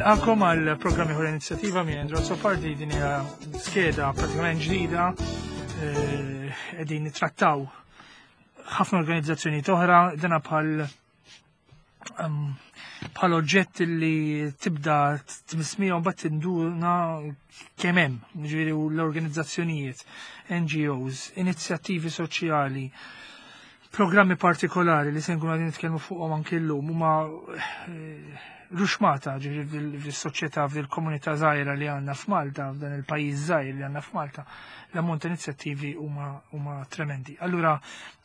Nilqakom għal programm ieħor inizjattiva minn Andrew Sopardi din hija skeda pratikament ġdida eh, qegħdin nittrattaw ħafna organizzazzjoni oħra dana bħal bħal oġġett li tibda tmismija u mbagħad tinduna kemm hemm, ġifieri l-organizzazzjonijiet, NGOs, inizjattivi soċjali, programmi partikolari li se nkunu qegħdin nitkellmu fuqhom anke llum huma eh, ruxmata ġifieri fis-soċjetà fil-komunità żgħira li għandna f'Malta, f'dan il-pajjiż żgħir li għandna f'Malta, l-ammont ta' inizjattivi huma tremendi. Allura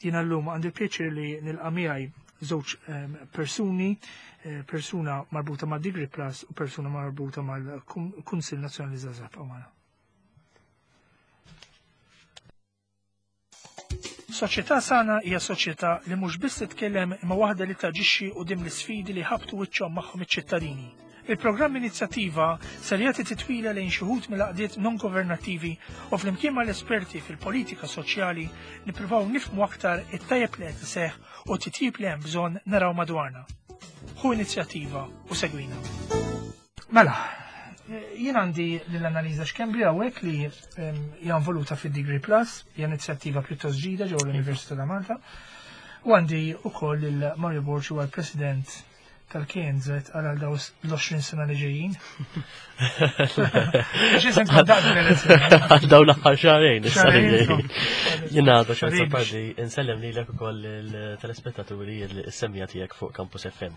jiena llum għandi pjaċir li nilqa' miegħi żewġ ehm, persuni, eh, persuna marbuta ma' Degree Plus u persuna marbuta mal-Kunsill Nazzjonali Żgħażagħ Magħna. Soċjetà sana hija soċjetà li mhux biss titkellem imma waħda li taġixxi quddiem l-isfidi li ħabtu wiċċhom magħhom iċ-ċittadini. Il-programm Inizjattiva ser jagħti titwila lejn xi wħud mill-għaqdiet non-governattivi u flimkien mal-esperti fil-politika soċjali nippruvaw nifhmu aktar it-tajjeb li qed iseħħ u t-titjib li hemm bżonn naraw madwarna. Ħu inizjattiva u segwina. Mela, jien għandi l-analiza xkembri hawnhekk li hija involuta fid-Degree Plus, hija inizjattiva pjuttost ġdida ġewwa l-Università ta' Malta. U għandi wkoll il Mario Borg huwa l-President tal-KNZ għal daw l-20 sena li ġejjin. Għal daw l-aħħar xahrejn, issa li ġejjin. Jien għadu xorta pardi, insellem lilek ukoll il-telespettaturi il-semmija tiegħek fuq Campus FM.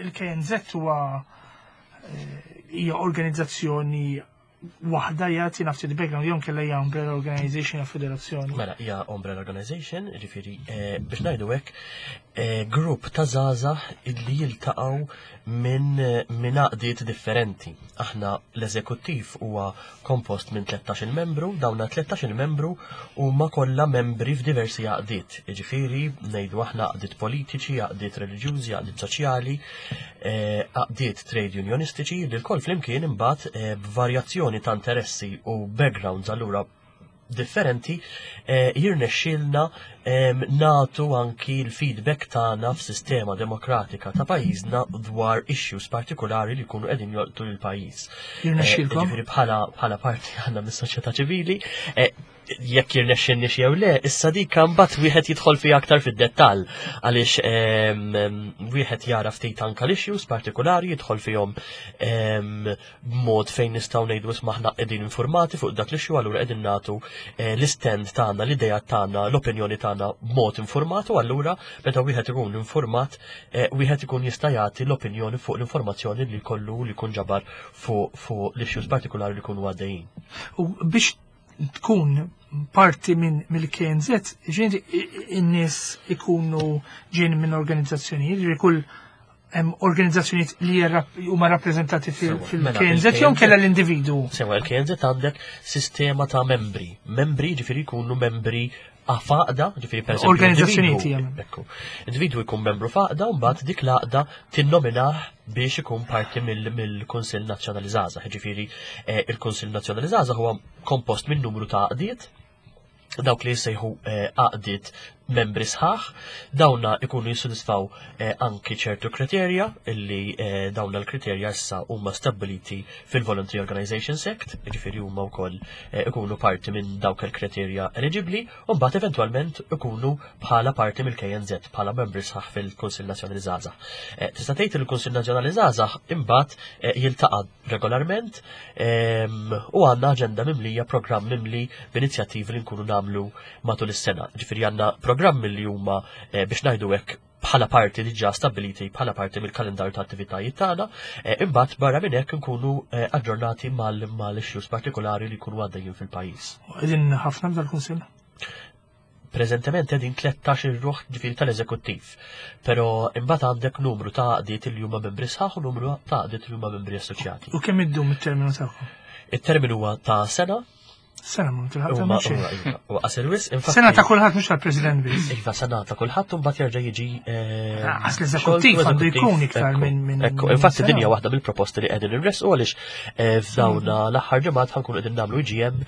Il-KNZ huwa eh, hija organizzazzjoni waħda jagħti nafti il-background jew kellha hija umbrella organization jew federazzjoni. Mela hija umbrella organization, ġifieri eh, biex ngħidu hekk eh, grupp ta' żgħażagħ illi jiltaqgħu minn minn għaqdiet differenti. Aħna l-eżekuttiv huwa kompost minn 13-il membru, dawna 13-il membru huma kollha membri f'diversi għaqdiet. Jiġifieri ngħidu aħna għaqdiet politiċi, għaqdiet reliġjużi, għaqdiet soċjali, eh, għaqdiet trade unionistiċi li lkoll flimkien imbagħad eh, b'varjazzjoni ta' interessi u backgrounds allura differenti eh, jirnexxilna natu anki l-feedback tagħna f'sistema demokratika ta' pajjiżna dwar issues partikolari li jkunu qegħdin jolqtu lil pajjiż. Jirnexxilkom? Eh, ġifieri bħala bħala parti għandna mis-soċjetà ċivili, eh, jekk jirnexxilni jew le, issa dik mbagħad wieħed jidħol fiha aktar fid-dettall għaliex wieħed jara ftit anka l-issues partikolari jidħol fihom b'mod fejn nistgħu ngħidu isma' aħna qegħdin informati fuq dak l-issue allura qegħdin nagħtu eh, l-istand tagħna, l-idea tagħna, l-opinjoni tagħna b'mod informat u allura meta wieħed ikun informat eh, wieħed ikun jista' jagħti l-opinjoni fuq l-informazzjoni li jkollu li jkun ġabar fuq fuq l-issues partikolari li jkunu għaddejjin. U biex tkun parti minn mill-KNZ, ġieni in-nies ikunu ġejjin minn organizzazzjonijiet, ġifieri kull hemm organizzazzjonijiet li huma rappreżentati fil-KNZ mela, jew kellha l-individwu. Sewa l-KNZ għandek sistema ta' membri. Membri ġifieri jkunu membri faqda, ġifieri per Organizzazzjonijiet. Ekku. Individwu jkun membru faqda u mbagħad dik l-għaqda tinnominah biex ikun parti mill-Kunsill Nazzjonali Żgħażagħ. Ġifieri eh, il-Kunsill Nazzjonali Żgħażagħ huwa kompost minn numru ta' għaqdiet dawk li jissejħu eh, għaqdiet membri sħaħ, dawna ikunu jissodisfaw eh, anki ċertu kriterja illi eh, dawna l-kriterja issa huma stabiliti fil-Voluntary Organizations Act, ġifieri huma wkoll ikunu parti minn dawk il-kriterja eligibbli, u mbagħad eventwalment ikunu bħala parti mill-KNZ, bħala membri sħaħ fil-Kunsill Nazzjonali Żgħażagħ. Tista' tgħid il-Kunsill Nazzjonali Żgħażagħ imbagħad jiltaqa' regolarment ehm, u għandna aġenda mimlija, programm mimli b'inizjattivi li nkunu nagħmlu matul is-sena. Ġifieri għandna programmi li huma eh, biex ngħidu hekk bħala parti diġà stabiliti bħala parti mill-kalendarju ta' attivitajiet tagħna, eh, imbagħad barra minn hekk nkunu eh, aġġornati mal-issues partikolari li jkunu għaddejjin fil-pajjiż. Qegħdin ħafna dal-kunsill? Preżentement qegħdin 13 ruħ ġifieri tal-eżekuttiv. Però imbagħad għandek numru ta' għaqdiet li huma membri sħaħ u numru ta' għaqdiet li huma membri assoċjati. U kemm iddum it-terminu tagħkom? It-terminu huwa ta' sena. Sena ma tilħaq tagħmel xejn. Iva, u qasir wisq, infatti. Sena ta' kulħadd mhux tal-President biss. Iva, sena ta' kulħadd u mbagħad jerġa' jiġi. Eh, ah, Għas l-eżekuttiv għandu jkun iktar minn minn. Ekku, infatti din hija waħda mill-proposti li qegħdin inresqu għaliex eh, f'dawna l-aħħar ġimgħat ħankunu qegħdin nagħmlu IGM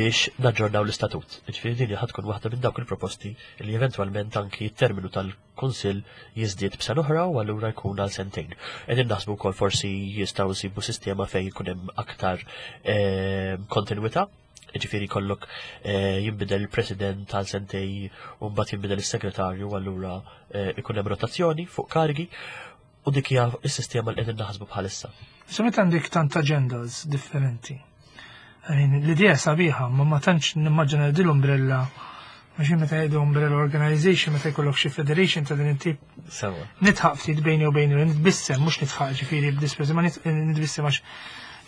biex naġġornaw l-istatut. Ġifieri din ħad tkun waħda minn dawk il-proposti li eventwalment anki t-terminu tal-Kunsill jiżdied b'sena oħra u allura jkun għal sentejn. Qegħdin naħsbu wkoll forsi jistgħu nsibu sistema fejn jkun hemm aktar eh, kontinwità ġifiri kollok eh, jinbidel il-president għal sentej u mbagħad jinbidel is-segretarju allura eh, ikun hemm rotazzjoni fuq karigi u dik hija s-sistema li qegħdin naħsbu bħalissa. So meta għandek tant agendas differenti. L-idea sabiħa, ma ma tantx nimmaġina din l-umbrella Mhux meta jgħidu umbrella organization, meta jkollok xi federation ta' din it-tip. Sewa. Nitħaq ftit bejni u bejni, nitbissem, mhux nitħaq ġifieri b'disprezz, ma nitbissem għax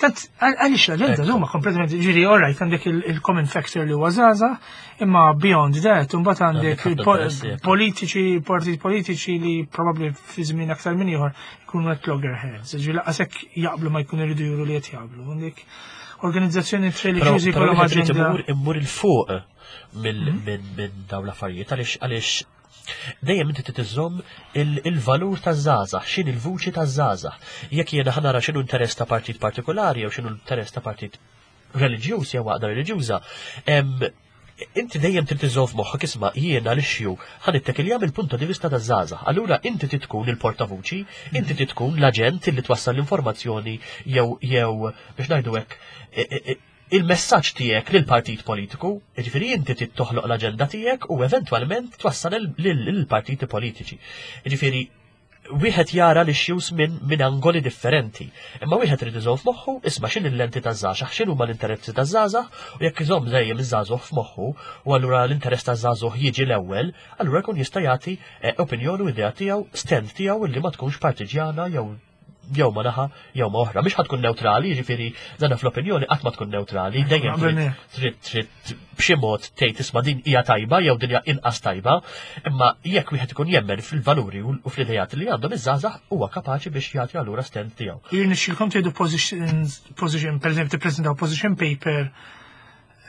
Tant, għaliex l-agenda huma kompletament, ġiri, all right, għandek il-common factor li huwa żgħażagħ, imma beyond that, imbagħad għandek politiċi, partit politiċi li probabbli fi żmien aktar minn ieħor jkunu qed loggerheads, ġifieri laqas hekk jaqblu ma jkunu jridu juru li qed jaqblu. Għandek organizzazzjoni reliġjużi kollha aġenda. Immur il-fuq mhm. minn dawn l-affarijiet għaliex għaliex dejjem inti trid iżżomm il-valur taż-żgħażagħ, x'in il-vuċi taż-żgħażagħ. Jekk jiena ħanara x'inhu interess ta' partit partikolari jew x'inhu interess ta' partit reliġjuż jew għaqda reliġjuża, inti dejjem trid iżżomm f'moħħok isma' jiena l-issue ħa nittekilja mill-punto di vista taż-żgħażagħ. Allura inti trid tkun il-portavuċi, inti trid tkun l-aġent li twassal l-informazzjoni jew jew biex ngħidu hekk e, e, e, il-messaġġ tiegħek lil partit politiku, jiġifieri inti trid toħloq l-aġenda tiegħek u eventwalment twassal lill-partiti politiċi. Jiġifieri wieħed jara l-issues minn min angoli differenti. Imma wieħed irid iżomm f'moħħu isma' x'in il-lenti taż-żgħażagħ, x'in huma l-interessi taż-żgħażagħ u jekk iżomm dejjem iż-żagħżugħ f'moħħu u allura l-interess taż-żagħżugħ jiġi l-ewwel, allura jkun jista' jagħti eh, opinjoni u idea tiegħu, stand tiegħu illi ma tkunx partiġjana jew jew ma naħa jew ma oħra. Mhix tkun neutrali, jiġifieri dana fl-opinjoni qatt ma tkun neutrali, dejjem trid trid b'xi mod tgħid isma' din hija tajba jew din hija inqas tajba, imma jekk wieħed ikun jemmen fil-valuri u fl-idejat li għandhom iż-żgħażagħ huwa kapaċi biex jagħti allura stand tiegħu. Jirnexxilkom tgħidu position, pereżempju tippreżentaw position paper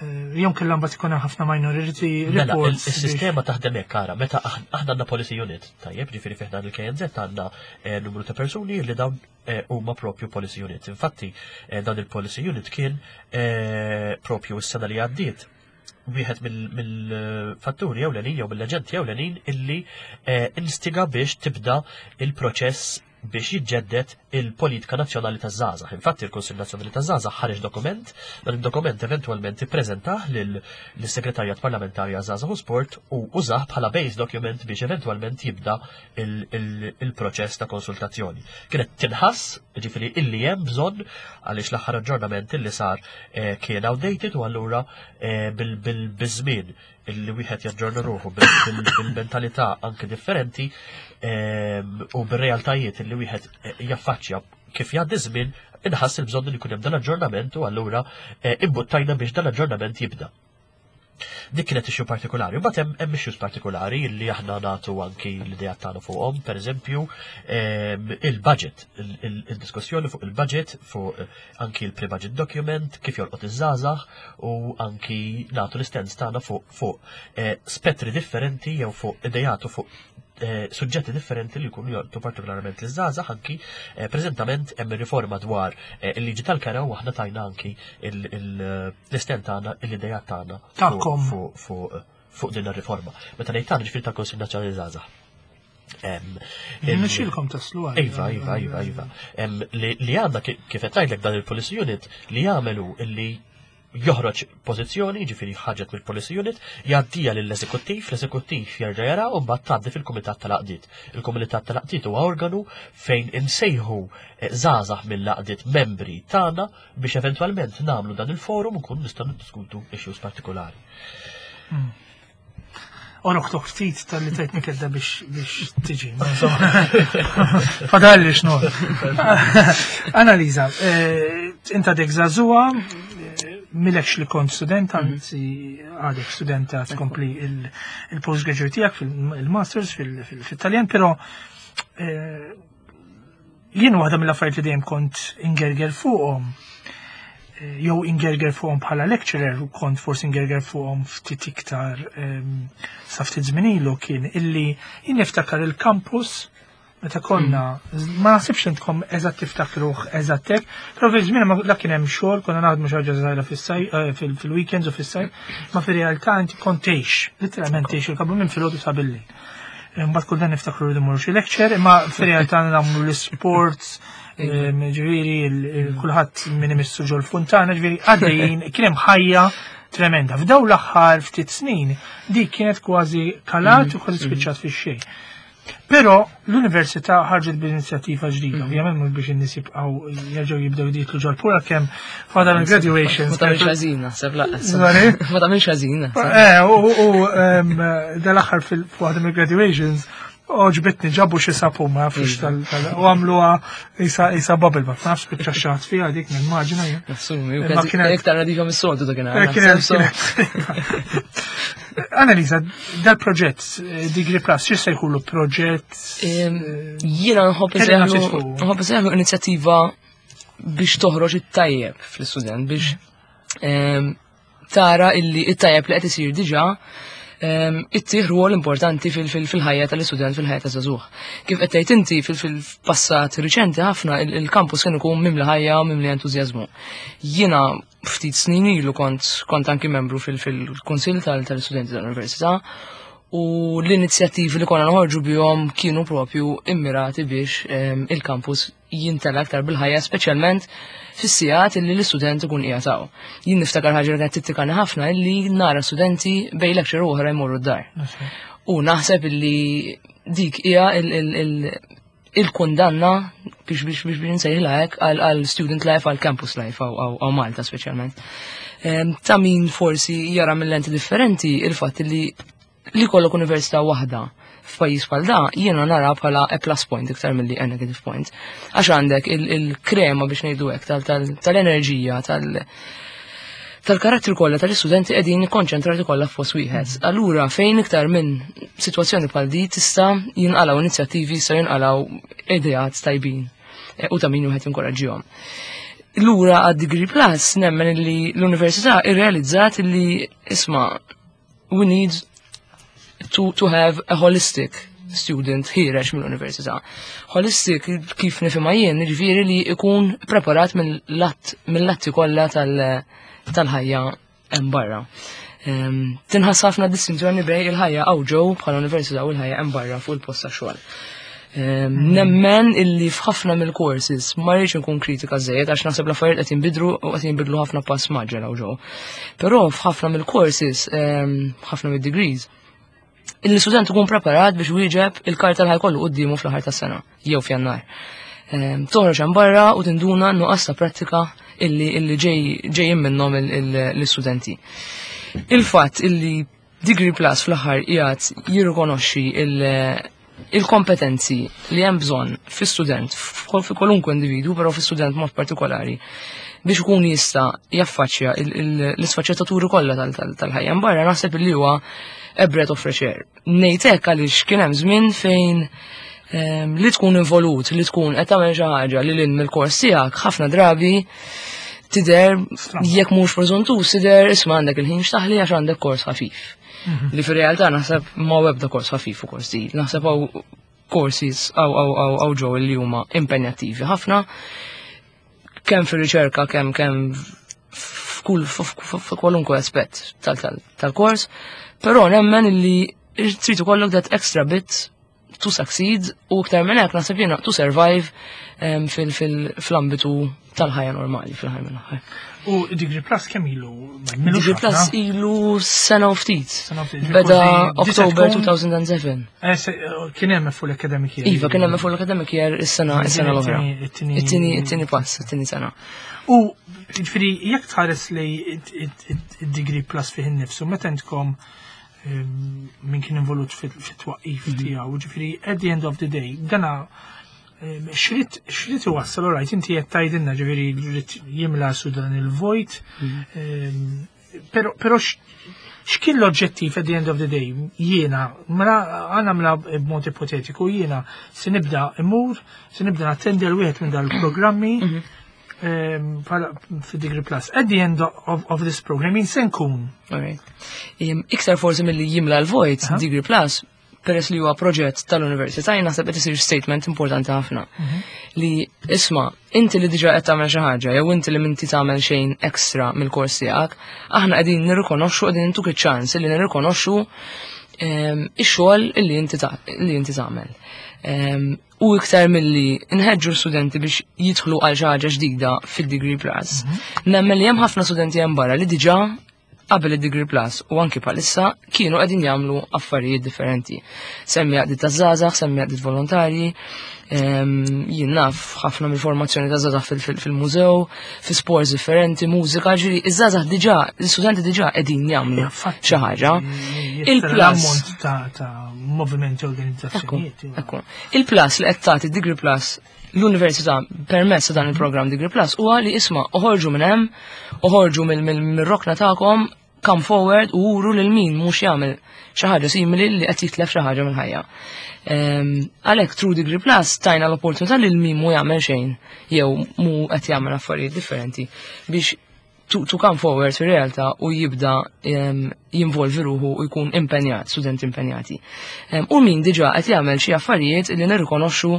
Eh, jom kellha mbagħad ikun hemm ħafna minority mela, reports. Is-sistema taħdem hekk ara, meta aħna għandna policy unit, tajjeb, ġifieri fih dan il-KNZ għandna eh, numru ta' persuni li dawn eh, huma propju policy unit. Infatti, dan il-policy unit kien propju s-sena li għaddiet wieħed mill-fatturi ewlenin jew mill-aġenti ewlenin illi instiga biex tibda il-proċess biex jiġġedded il-politika nazzjonali taż-żgħażagħ. Infatti il-Kunsill Nazzjonali taż-Żgħażagħ ħareġ dokument, dan id-dokument eventwalment ippreżentah lis-Segretarjat Parlamentari għaż-Żgħażagħ u Sport u użah bħala base document biex eventwalment jibda il-proċess ta' konsultazzjoni. Kienet tinħass, ġifieri illi hemm bżonn għaliex l-aħħar aġġornament illi sar eh, kien outdated u allura eh, bil-żmien illi wieħed jaġġorna ruħu bil-mentalità anke differenti ehm, u bir-realtajiet illi wieħed eh, jaffaċċja kif jgħaddi żmien inħass il-bżonn li jkun hemm dan aġġornament u allura eh, imbuttajna biex dan aġġornament jibda. Dik kienet issue partikolari. Mbagħad hemm hemm issues partikolari li aħna nagħtu anki l-idea tagħna fuqhom, pereżempju ehm, il-budget, il-diskussjoni fuq il-budget, fuq eh, anki l-pre-budget document, kif jolqot iż-żgħażagħ u anki nagħtu l-istens tagħna fuq fuq eh, spettri differenti jew fuq idejat u fuq eh, suġġetti differenti li jkunu jolqtu partikolarment l-żgħażagħ anki eh, preżentament hemm riforma dwar il-liġi tal-kera u aħna tajna anki l-istent tagħna l-idejat tagħna fuq din ir-riforma. Meta ngħid tagħna ġifieri tal-Kunsill Nazzjonali Żgħażagħ. Nixilkom taslu għal. Iva, iva, iva, iva. Li għandna kif qed ngħidlek dan il-policy unit li jagħmelu illi joħroġ pożizzjoni, ġifieri ħaġet mill-policy unit, jgħaddija lill-eżekuttiv, l-eżekuttiv jerġa' jara u mbagħad tgħaddi fil-kumitat tal-għaqdiet. Il-kumitat tal-għaqdiet huwa organu fejn insejħu eh, żgħażagħ mill-għaqdiet membri tagħna biex eventwalment nagħmlu dan il-forum u nkunu nistgħu niddiskutu issues partikolari. Hmm. Oroħtok ftit tal-li tajtni kedda biex tiġi. Fadalli xnu. Analiza, eh, inta dek zazua, eh, milekx li kont student, mhm. anzi għadek studenta tkompli il-postgraduate tijak fil-masters fil-Taljan, pero eh, jien waħda mill-affarijiet li dejjem kont ingerger fuqhom. jew ingerger fuqhom bħala lecturer u kont forsi ingerger fuqhom ftit iktar sa ftit żmien ilu kien illi jien niftakar il-campus meta konna, ma naħsibx intkom eżatt tiftakruh eżatt hekk, però fi żmien ma la kien hemm xogħol, konna naħdmu xi ħaġa żgħira fis-saj, fil-weekends u fis-sajf, ma fir-realtà inti kont tgħix, literalment tgħix il-kabu minn filgħodu sa bil-lejl. Mbagħad kull dan niftakru li mmorru xi lecture, imma fir-realtà nagħmlu l-sports, ġifieri kulħadd min imissu ġol funtana, ġifieri għaddejjin kien hemm ħajja tremenda. F'daw l-aħħar ftit snin dik kienet kważi kalat u kważi spiċċat fix-xejn. Però l-università ħarġet b'inizjattiva ġdida, ovvjament mhux biex in-nies jibqgħu jerġgħu jibdew jidħlu ġol-pura kemm fadal il-graduations. Ma tagħmilx ħażin naħseb lanqas. Sorry? Ma tagħmilx ħażin naħseb. U dal-aħħar fil-waħda mill-graduations għoġbitni ġabu xi sapun ma nafx u għamluha isa bubble bath, ma nafx spiċċa xaħat fiha dik nimmaġina jien. Assumi, u Imma kważi iktar nadifa mis-soltu dak inhar, naħseb, Annalisa, dal-proġett Degree Plus, xi se jkunu proġett? Jiena nħobb Kelli nafx fuq. nħobb insejħlu inizjattiva biex toħroġ it-tajjeb fl-istudent, biex tara illi it-tajjeb li qed isir diġà ittih rwol importanti fil-ħajja tal-istudent, fil-ħajja ta' żagħżugħ. Kif qed tgħid inti fil-passat riċenti ħafna il-campus kien ikun mimli ħajja u mimli entużjażmu. Jiena ftit snin ilu kont anki membru fil-kunsill tal-istudenti tal-università u l-inizjattivi li konna noħorġu bihom kienu propju immirati biex il-campus jintela aktar bil-ħajja, speċjalment fis-sigħat illi l-istudent ikun qiegħed hawn. Jien niftakar ħaġa li kienet tittikani ħafna illi nara studenti bejn lecture u oħra jmorru d-dar. U naħseb illi dik hija il-kundanna biex nsejħilha hekk għal student life, għal campus life hawn Malta speċjalment. Ta' min forsi jara mill lenti differenti il-fatt li kollok università waħda f'pajjiż bħal da, jiena nara bħala a plus point iktar milli a negative point. Għax għandek il-krema biex ngħidu hekk tal-enerġija, tal-karattri kollha tal-istudenti qegħdin ikkonċentrati kollha f'post wieħed. Allura fejn iktar minn sitwazzjoni bħal di tista' jinqalgħu inizjattivi, jista' jinqalgħu ideat tajbin u ta' min wieħed jinkoraġġihom. Lura għad Degree Plus nemmen li l-università irrealizzat li isma' we need to have a holistic student ħiereġ mill-università. Holistic kif nifhimha jien, jiġifieri li jkun preparat mill-latti kollha tal-ħajja hemm barra. Tinħass ħafna distinzjoni bejn il-ħajja hawn ġew bħala università u l-ħajja hemm barra fuq il-post tax-xogħol. Nemmen illi f'ħafna mill-courses ma rridx nkun kritika żejjed għax naħseb l-affarijiet qed jinbidlu u qed jinbidlu ħafna pass mgħaġġel hawn ġew. Però f'ħafna mill-courses, ħafna mid-degrees, l-istudent ikun preparat biex wieġeb il-karta li ħajkollu quddiemu fl-aħħar tas-sena jew f'Jannar. Toħroġ hemm barra u tinduna nuqqas ta' prattika illi ġejjin minnhom l-istudenti. Il-fatt illi Degree Plus fl-aħħar qiegħed jirrikonoxxi il-kompetenzi li hemm bżonn fi-student, fi kwalunkwe individwu, però fi-student mod partikolari, biex ikun jista' jaffaċċja l-isfaċċettaturi kollha tal-ħajja barra, naħseb li huwa a breath of fresh air. Ngħid hekk għaliex kien hemm żmien fejn li tkun involut, li tkun qed tagħmel xi ħaġa li lil mill-kors tiegħek ħafna drabi tidher jekk mhux preżuntus tidher isma' għandek il-ħin x'taħli għax għandek kors ħafif. Li fir-realtà naħseb ma ebda kors ħafif u kors tqil. Naħseb hawn courses hawn ġew li huma impenjattivi ħafna kemm fir-riċerka kemm f'kwalunkwe aspett tal-kors, però nemmen li trid ikollok that extra bit to succeed u iktar minn hekk naħseb jiena to survive fl-ambitu tal-ħajja normali fil-ħajja mill-aħħar. U Degree Plus kemm ilu? Degree Plus ilu sena u ftit. Sena u ftit. Beda Kważi October tkun- 2007. Kien hemm full academic year. Iva, kien hemm full academic year is-sena l-oħra. It-tieni pass, it-tieni sena. U ġifieri jekk tħares li id-Degree Plus fih innifsu, meta intkom min kien involut fit-twaqqif tiegħu, ġifieri at the end of the day, dana xrid iwassal, all right, inti qed tgħidilna ġifieri rrid jimla su dan il-vojt, però x'kien l-oġġettiv at the end of the day? Jiena, mela għana mela b'mod ipotetiku, jiena se nibda immur, se nibda nattendi għal wieħed minn dal-programmi. Fi Degree Plus, at the end of this program, jien se nkun. Iktar forsi milli jimla l-vojt, Degree Plus, peress li huwa proġett tal-università, jien naħseb qed isir statement importanti ħafna. Li isma', inti li diġà qed tagħmel xi ħaġa, jew inti li m'inti tagħmel xejn extra mill-kors tiegħek, aħna qegħdin nirrikonoxxu, qegħdin intuk iċ-ċans li nirrikonoxxu ix-xogħol li inti tagħmel. U iktar milli nħeġġu studenti biex jidħlu għal xi ħaġa ġdida fid-Degree Plus. Nemmen li hemm ħafna studenti hemm barra li diġà qabel id-Degree Plus u anki bħalissa kienu qegħdin jagħmlu affarijiet differenti. Semmi għaqdiet ta' żgħażagħ, semmi għaqdiet volontarji, jien naf ħafna mill-formazzjoni ta' żgħażagħ fil-mużew, fi sports differenti, mużika, ġifieri iż-żgħażagħ diġà, l-istudenti diġà qegħdin jagħmlu xi ħaġa. Il-plus ta' movimenti organizzazzjonijiet. Ekku. Il-plus li qed tagħti Degree Plus l-università permezz ta' dan il-programm Degree Plus huwa li isma' oħorġu minn hemm, oħorġu mill-rokna tagħkom, come forward u uru lil min mhux jagħmel xi ħaġa simili li qed jitlef xi ħaġa mill-ħajja. Għalhekk through Degree Plus tajna l-opportunità lil min mhu jagħmel xejn jew mhu qed jagħmel affarijiet differenti biex to come forward fir-realtà u jibda jinvolvi ruħu u jkun impenjat, studenti impenjati. U min diġà qed jagħmel xi affarijiet li nirrikonoxxu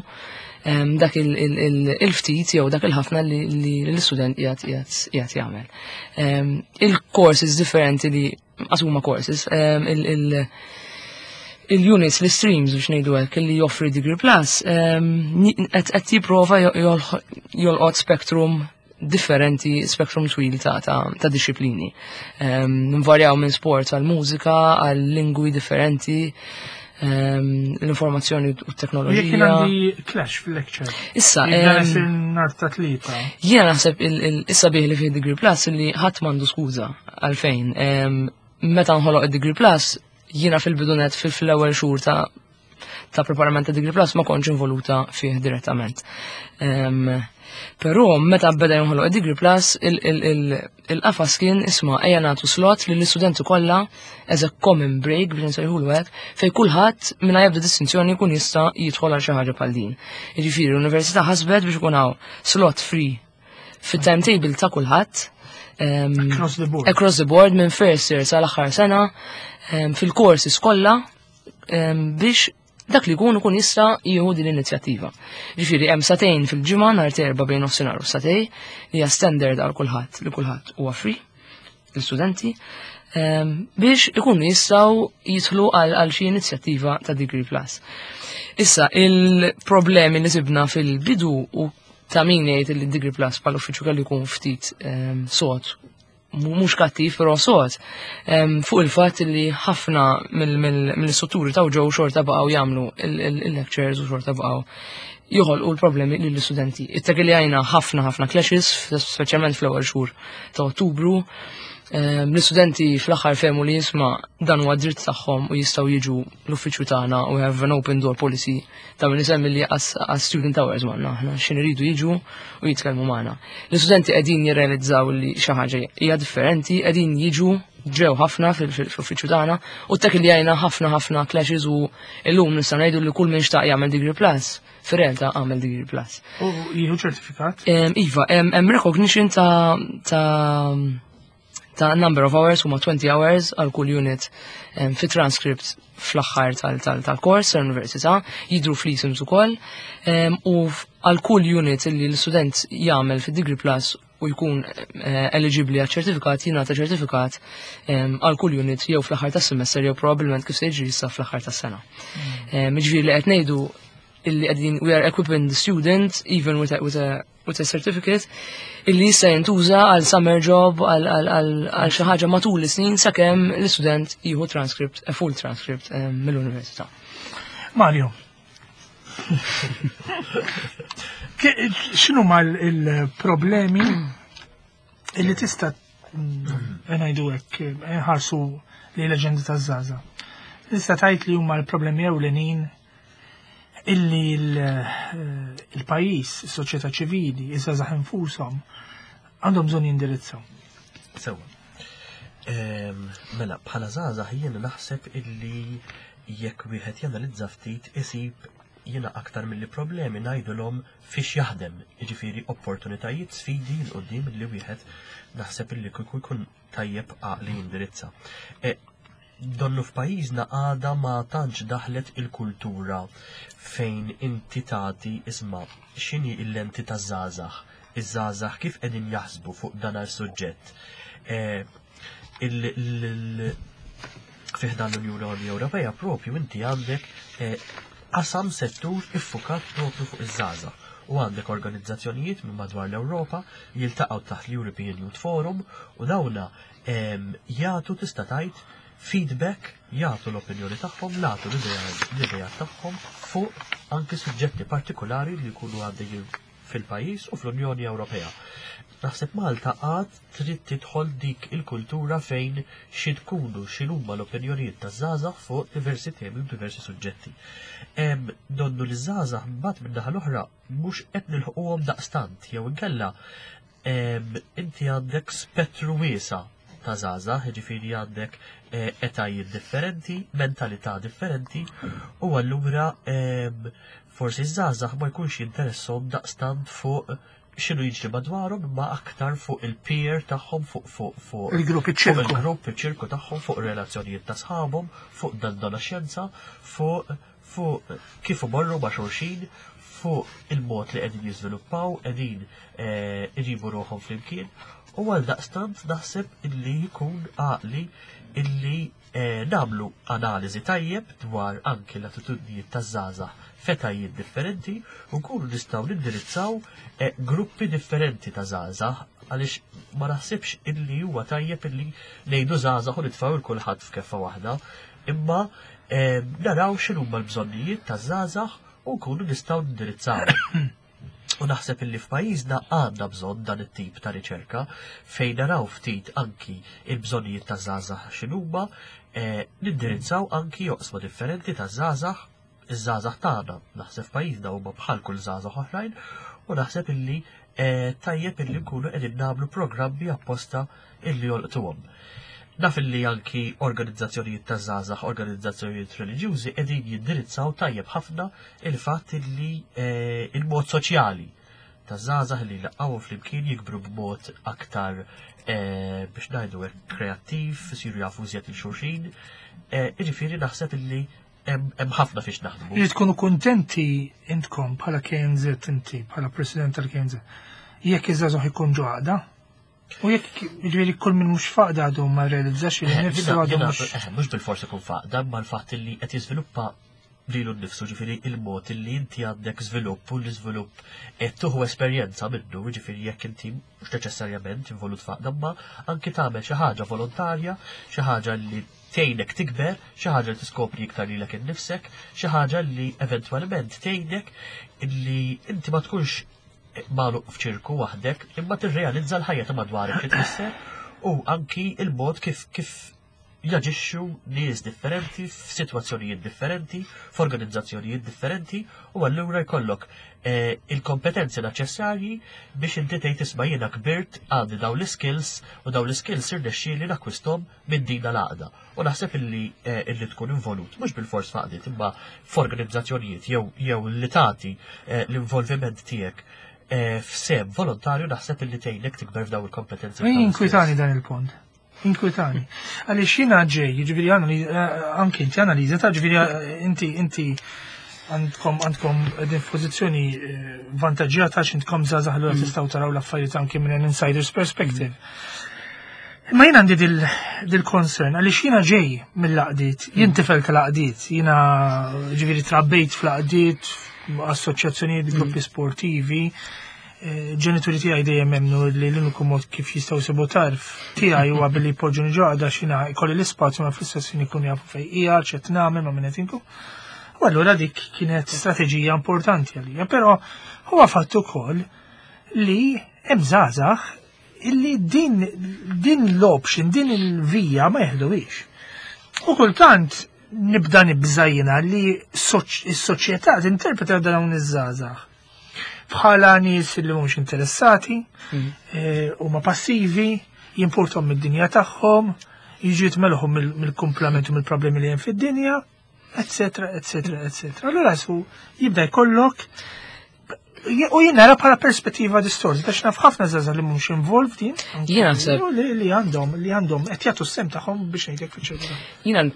dak il-ftit jew dak il-ħafna li l-istudent qiegħed jagħmel. Il-courses differenti li huma courses, il-units, l-streams biex ngħidu hekk li joffri Degree Plus, qed jipprova jolqot spectrum differenti, spectrum twil ta' disciplini. Nvarjaw minn sport għal mużika, għal lingwi differenti, l-informazzjoni u t-teknoloġija. Jekk għandi clash fil-lecture. Issa, nhar ta' Tlieta. Jiena naħseb issa bih li fih Degree Plus li ħadd m'għandu skuża għalfejn. Meta nħoloq id-Degree Plus, jiena fil-bidunet fil-ewwel xhur ta' preparament ta' Degree Plus ma kontx involuta fih direttament. Però meta beda jinħoloq Degree Plus, il-qafas kien isma' ejja nagħtu slot lill istudenti kollha as a common break biex nsejħulu hekk, fejn kulħadd mingħajr ebda distinzjoni jkun jista' jidħol għal xi ħaġa bħal din. Jiġifieri l-università ħasbet biex ikun hawn slot free fit-timetable ta' kulħadd. Across the board. Across the board minn first year sal-aħħar sena fil-courses kollha biex dak li jkun ikun jista' jieħu din l-inizjattiva. Ġifieri hemm sagħtejn fil-ġimgħa nhar Terba bejn nofsinhar u sagħtejn li hija standard għal kulħadd li kulħadd huwa free l-istudenti biex ikunu jistgħu jidħlu għal xi inizjattiva ta' Degree Plus. Issa il-problemi li sibna fil-bidu u ta' min jgħid li Degree Plus bħal uffiċċju kellu jkun ftit sod, mhux kattiv però sod, fuq il-fatt li ħafna mill-istrutturi ta' ġew xorta baqgħu jagħmlu il-lectures u xorta baqgħu joħolqu l-problemi lill-istudenti. Ittek li għajna ħafna ħafna clashes, speċjalment fl-ewwel xhur ta' Ottubru. L-istudenti fl-aħħar fehmu li jisma' dan huwa dritt tagħhom u jistgħu jiġu l-uffiċċju tagħna u have an open door policy ta' min isemmi li għas student hours magħna aħna x'in iridu jiġu u jitkellmu magħna. L-istudenti qegħdin jirrealizzaw li xi ħaġa hija differenti, qegħdin jiġu ġew ħafna fil-uffiċċju tagħna u tek li għajna ħafna ħafna clashes u illum nista' ngħidu li kull min xtaq jagħmel Degree Plus, fir-realtà għamel Degree Plus. U jieħu ċertifikat? Iva, hemm recognition ta' number of hours, huma 20 hours għal kull unit fi transcript fl-aħħar tal-kors tal-università, jidru fl-isims ukoll, u għal kull unit li l-student jagħmel fi Degree Plus u jkun eligibli għal ċertifikat, jingħata ċertifikat għal kull unit jew fl-aħħar tas-semester jew probabbilment kif se jiġri issa fl-aħħar tas-sena. Jiġifieri li qed ngħidu illi qegħdin we are equipping the student even with a certificate illi jista' jintuża għal summer job, għal xi ħaġa matul is-snin sakemm l-istudent jieħu transcript, a full transcript mill-università. Mario, x'inhu ma il-problemi illi tista' ngħidu hekk nħarsu li l-aġenda taż-żgħażagħ? Tista' tgħid li huma l-problemi ewlenin illi il-pajjiż, is-soċjetà ċivili, iż-żgħażagħ infushom għandhom bżonn jindirizzaw. Sewa. Mela, bħala żgħażagħ jien naħseb illi jekk wieħed janalizza ftit isib Jiena aktar milli problemi ngħidulhom fiex jaħdem, jiġifieri opportunitajiet, sfidi 'l quddiem li wieħed naħseb illi kieku jkun tajjeb għaqli jindirizza. E, donnu f'pajjiżna għada ma tantx daħlet il-kultura fejn inti tagħti isma' x'inhi l-lenti taż-żgħażagħ, iż-żgħażagħ kif qegħdin jaħsbu fuq dan is-suġġett. E, fi ħdan l-Unjoni Ewropea propju inti għandek eh, qasam settur iffukat propju fuq iż-żgħażagħ u għandek organizzazzjonijiet minn madwar l-Ewropa jiltaqgħu taħt l-European Youth Forum u dawna ehm, jagħtu tista' tgħid feedback, jagħtu l-opinjoni tagħhom, jagħtu l-idea tagħhom fuq anki suġġetti partikolari li jkunu għaddejjin fil-pajjiż u fl-Unjoni Ewropea. Naħseb Malta għad trid tidħol dik il-kultura fejn xi tkunu x'inhuma l-opinjonijiet taż-żgħażagħ fuq diversi temi u diversi suġġetti. Hemm donnu li żgħażagħ mbagħad min-naħa l-oħra mhux qed nilħquhom daqstant jew inkella inti għandek spettru wiesa' ta' żgħażagħ, jiġifieri għandek eh, etajiet differenti, mentalità differenti, u allura forsi ż-żgħażagħ ma jkunx jinteressom daqstant fuq x'inhu jiġri madwarhom imma aktar fuq il-peer tagħhom fuq fuq fuq il-grupp iċ-ċirku. Il-grupp iċ-ċirku tagħhom fuq relazzjonijiet ta' sħabhom, fuq dan xjenza, fuq fuq kif imorru ma' xulxin, fuq il-mod li qegħdin jiżviluppaw, qegħdin eh, iġibu ruħhom flimkien u għal daqstant naħseb illi jkun għaqli illi eh, nagħmlu analiżi tajjeb dwar anki l-attitudnijiet taż-żgħażagħ f'etajiet differenti u nkunu nistgħu nindirizzaw eh, gruppi differenti ta' żgħażagħ għaliex ma naħsibx illi huwa tajjeb illi ngħidu żgħażagħ u nitfgħu 'l kulħadd f'keffa waħda, imma eh, naraw x'inhuma l-bżonnijiet taż-żgħażagħ u nkunu nistgħu nindirizzaw. U naħseb illi f'pajjiżna għandna bżonn dan it-tip ta' riċerka fejn naraw ftit anki il-bżonnijiet ta' żgħażagħ x'inhuma, eh, nindirizzaw anki oqsma differenti ta' żgħażagħ, iż-żgħażagħ tagħna. Naħseb f'pajjiżna huma bħal kull żgħażagħ oħrajn u naħseb illi eh, tajjeb illi nkunu qegħdin nagħmlu programmi apposta illi jolqtuhom. Naf illi anki organizzazzjonijiet ta' żgħażagħ, organizzazzjonijiet reliġjużi qegħdin jindirizzaw tajjeb ħafna il-fatt illi eh, il-mod soċjali ta' żgħażagħ li laqgħu flimkien jikbru b'mod aktar eh, biex ngħidu hekk kreattiv, isiru jafu iżjed il-xulxin. Eh, jiġifieri naħseb illi hemm ħafna fiex naħdmu. Li tkunu kuntenti intkom bħala KNZ inti, bħala president tal-KNZ, jekk iż-żgħażagħ ikun ġo għaqda, U jekk jiġifieri kull min mhux f'għaqda għadu ma realizzax li nifsu għadu mhux. Eh, mhux bil-forsi kun f'għaqda, ma l-fatt li qed jiżviluppa lilu nnifsu ġifieri il-mod li inti għandek żvilupp u l-iżvilupp qed tuħu esperjenza minnu, ġifieri jekk inti mhux neċessarjament involut f'għaqda, ma anki tagħmel xi ħaġa volontarja, xi ħaġa li tgħinek tikber, xi ħaġa li tiskopri iktar lilek innifsek, xi ħaġa li eventwalment tgħinek li inti ma tkunx magħluq f'ċirku waħdek, imma tirrealizza l-ħajja ta' madwarek xi tfisser u anki il-mod kif kif jaġixxu nies differenti f'sitwazzjonijiet differenti, f'organizzazzjonijiet differenti u allura jkollok eh, il-kompetenzi neċessarji biex inti tgħid isma' jiena kbirt għandi dawn l-skills u dawn l-skills irnexxieli nakkwisthom minn din l-għaqda. U naħseb illi eh, illi tkun involut, mhux bil-fors f'għaqdiet, imma f'organizzazzjonijiet jew jew li tagħti eh, l-involviment tiegħek eh, f'sehem volontarju naħseb illi tgħinek tikber f'daw il-kompetenzi. Inkwitani dan il-punt. Inkwitani. Għaliex jiena ġej, jiġifieri anke inti analiża ta' ġifieri inti inti għandkom għandkom qegħdin f'pożizzjoni vantaġġjata għax intkom żgħażagħ li tistgħu taraw l-affarijiet anke minn an insider's perspective. Imma jien għandi dil-concern għaliex jiena ġej mill-għaqdiet, jien tifel tal-għaqdiet, jiena ġifieri trabbejt fl-għaqdiet, assoċjazzjonijiet, gruppi sportivi, eh, ġenituri tiegħi dejjem emmnu li l-uniku mod kif jistgħu jsibu tarf tiegħi huwa billi jpoġġuni ġo għaqda x'jiena jkolli l-ispazju ma fl-istess ħin ikunu jafu fejn qiegħed, x'qed nagħmel, ma' min qed inkun. U allura dik kienet strateġija importanti għalija, però huwa fatt ukoll li hemm żgħażagħ illi din din l-option, din il-vija ma jeħduhiex. U kultant nibda nibża' jiena li s-soċjetà tinterpreta dawn iż-żgħażagħ bħala nies li mhumiex interessati, eh, huma passivi, jimpurtom mid-dinja tagħhom, jiġu jitmelħu mill-kumplament u mill-problemi li hemm fid-dinja. Eccetera, eccetera, eccetera. Allura su jibda jkollok u jien nara bħala perspettiva distorta, għax naf ħafna żgħażagħ li mhumiex involved jien. Jien naħseb li għandhom li għandhom qed jagħtu s-sem tagħhom biex ngħidlek fiċ-ċertu. Jiena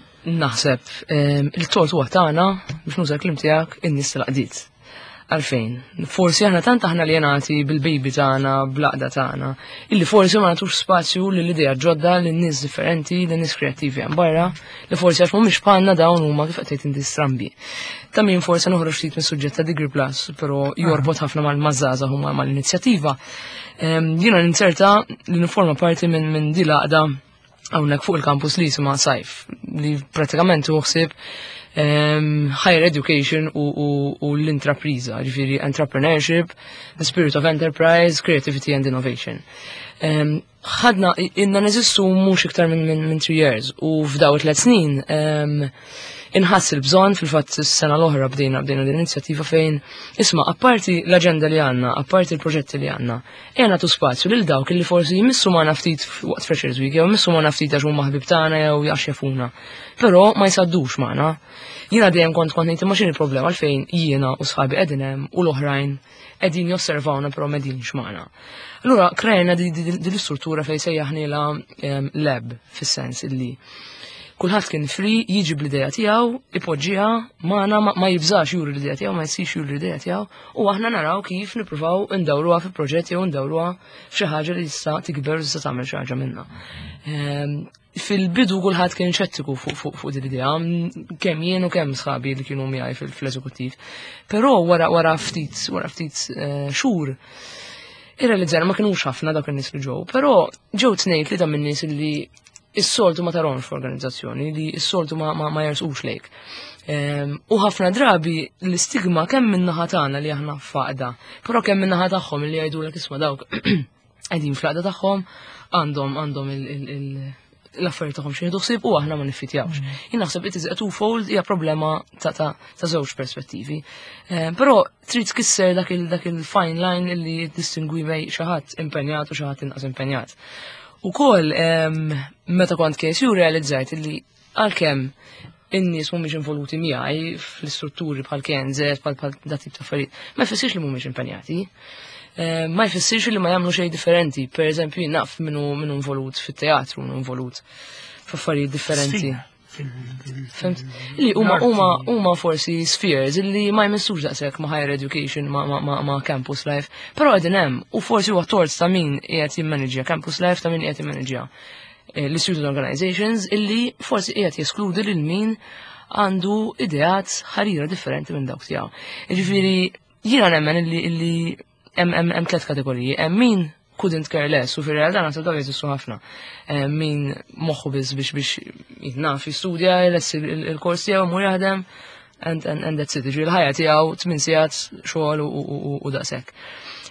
naħseb il-tort huwa tagħna biex nuża kliem tiegħek in-nies tal-qdiet. Għalfejn? Forsi aħna tant aħna li jenati bil-baby tagħna, bl-għaqda tagħna, illi forsi ma nagħtux spazju lil idea ġodda lil nies differenti, lil nies kreattivi hemm barra, li forsi għax mhumiex bħalna dawn huma kif qed tgħid inti strambi. Ta' min forsi noħroġ ftit mis-suġġett ta' Degree Plus, però jorbot ħafna mal-mażżaża huma mal-inizjattiva. Jiena ninzerta li niforma parti minn din l-għaqda hawnhekk fuq il-campus li jisimha Sajf, li pratikament hu ħsieb higher education u l-intrapriża, ġifieri entrepreneurship, the spirit of enterprise, creativity and innovation. Ħadna, inna neżistu mhux iktar minn 3 years u f'daw 3 snin inħass il-bżonn, fil-fatt s-sena l-oħra bdejna din l-inizjattiva fejn isma' apparti l-aġenda li għandna, apparti l-proġetti li għandna, ejja nagħtu spazju lil dawk li forsi jmissu magħna ftit waqt Freshers Week, jew jmissu magħna ftit għax huma ħbib tagħna jew għax jafuna. Però ma jsaddux magħna. Jiena dejjem kont ngħid imma x'inhi l-problema għalfejn jiena u sħabi qegħdin hemm u l-oħrajn qegħdin josservawna però m'qegħdinx magħna. Allura krejna di l-istruttura fejn sejjaħnielha lab, fis-sens illi kulħadd kien free jiġi bl-idea tiegħu, ipoġġiha magħna, ma jibżax juri l-idea tiegħu, ma jsix juri l-idea tiegħu, u aħna naraw kif nippruvaw ndawruha fi proġett jew ndawruha f'xi ħaġa li tista' tikber u tista' tagħmel xi ħaġa minnha. Fil-bidu kulħadd kien xettiku fuq din l-idea, kemm jien u kemm sħabi li kienu miegħi fl-eżekuttiv. Però wara ftit xhur irrealizzajna ma kinux ħafna dawk in-nies li ġew, però ġew tnejn tlieta min-nies li is-soltu ma tarhomx f'organizzazzjoni, li s-soltu ma jersqux lejk. U ħafna drabi l-istigma kemm min-naħa tagħna li aħna f'għaqda, però kemm min-naħa tagħhom li jgħidulek isma' dawk qegħdin fl-għaqda tagħhom, għandhom l-affarijiet tagħhom xi jieħdu ħsieb u aħna ma niffitjawx. Jien naħseb it is a twofold, hija problema ta' żewġ perspettivi. Però trid tkisser dak il-fine line li distingwi bejn xi ħadd impenjat u xi ħadd inqas impenjat. Ukoll meta kont KSU realizzajt li għalkemm in-nies mhumiex involuti miegħi fl-istrutturi bħal KNZ, bħal dat tip ta' affarijiet, ma jfissirx li mhumiex impenjati. Ma jfissirx li ma jagħmlu xejn differenti. Per eżempju, jien naf minnu involut fit-teatru, minnu involut f'affarijiet differenti. Sfida. Fimt? Li huma forsi spheres li ma jmissux daqshekk ma' higher education, ma' campus life, però qegħdin hemm u forsi huwa tort ta' min qiegħed jimmanagja campus life, ta' min qiegħed jimmanagja l-student organizations illi forsi qiegħed jeskludi lil min għandu ideat ħarira differenti minn dawk tiegħu. Jiġifieri jiena nemmen illi hemm tliet kategoriji, hemm min couldn't care less, u fir-realtà naħseb dawn jeżistu ħafna. Min moħħu biss biex jitnaf jistudja, jlessi il-kors tiegħu mur jaħdem, and that's it. Ġifieri l-ħajja tiegħu 8 sigħat xogħol u daqshekk.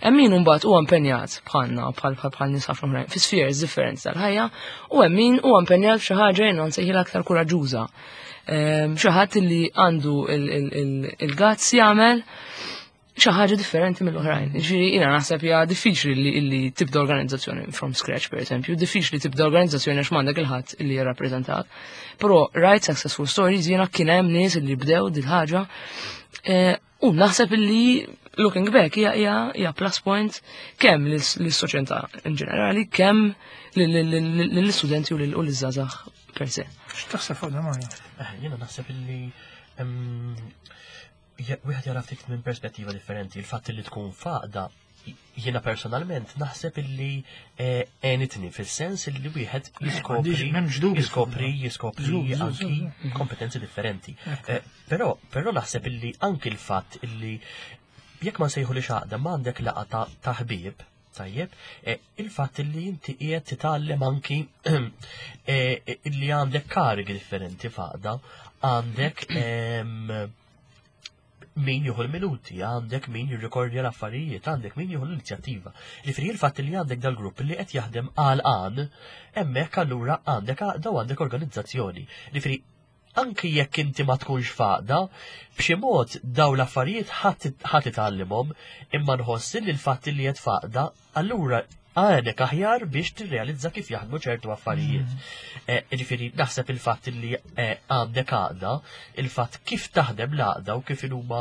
Hemm min imbagħad huwa impenjat bħalna, bħal nies ħafna oħrajn, fi spheres differenti tal-ħajja, u hemm min huwa impenjat f'xi ħaġa jiena nsejħilha aktar kuraġġuża. Xi ħadd li għandu il-guts jagħmel xi ħaġa differenti mill-oħrajn. Ġifieri jiena naħseb hija diffiċli li tibda organizzazzjoni from scratch, per eżempju, diffiċli tibda organizzazzjoni għax m'għandek il-ħadd li jirrappreżentat. Però right successful stories jiena kien hemm nies li bdew dil ħaġa u naħseb li looking back hija plus point kemm lis-soċjetà in ġenerali, kemm lill-istudenti u liż-żgħażagħ per se. X'taħseb fuq dan, Mario? Jiena naħseb illi wieħed jara ftit minn perspettiva differenti. Il-fatt li tkun f'għaqda, jiena personalment naħseb illi għenitni fis-sens illi wieħed M'hemmx dubju. jiskopri Żgur, żgur, anki żgur. kompetenzi differenti. Però naħseb illi anki l-fatt illi jekk ma nsejħu li xaqda ma għandek laqgħa ta' ħbieb, tajjeb, il-fatt illi inti qiegħed titgħallem anki illi għandek karigi differenti f'għaqda, għandek min jieħu l-minuti, għandek min jirrekordja l-affarijiet, għandek min jieħu l-inizjattiva. Ġifieri il-fatt li għandek dal-grupp li qed jaħdem għal għan, hemmhekk allura għandek għaqda u għandek organizzazzjoni. Ġifieri anki jekk inti ma tkunx f'għaqda, b'xi mod daw l-affarijiet ħadd titgħallimhom, imma nħoss li l-fatt li qed f'għaqda, allura Għenek aħjar biex tirrealizza kif jaħdmu ċertu affarijiet. Ġifieri naħseb il-fatt li għandek għaqda, il-fatt kif taħdem l-għaqda u kif huma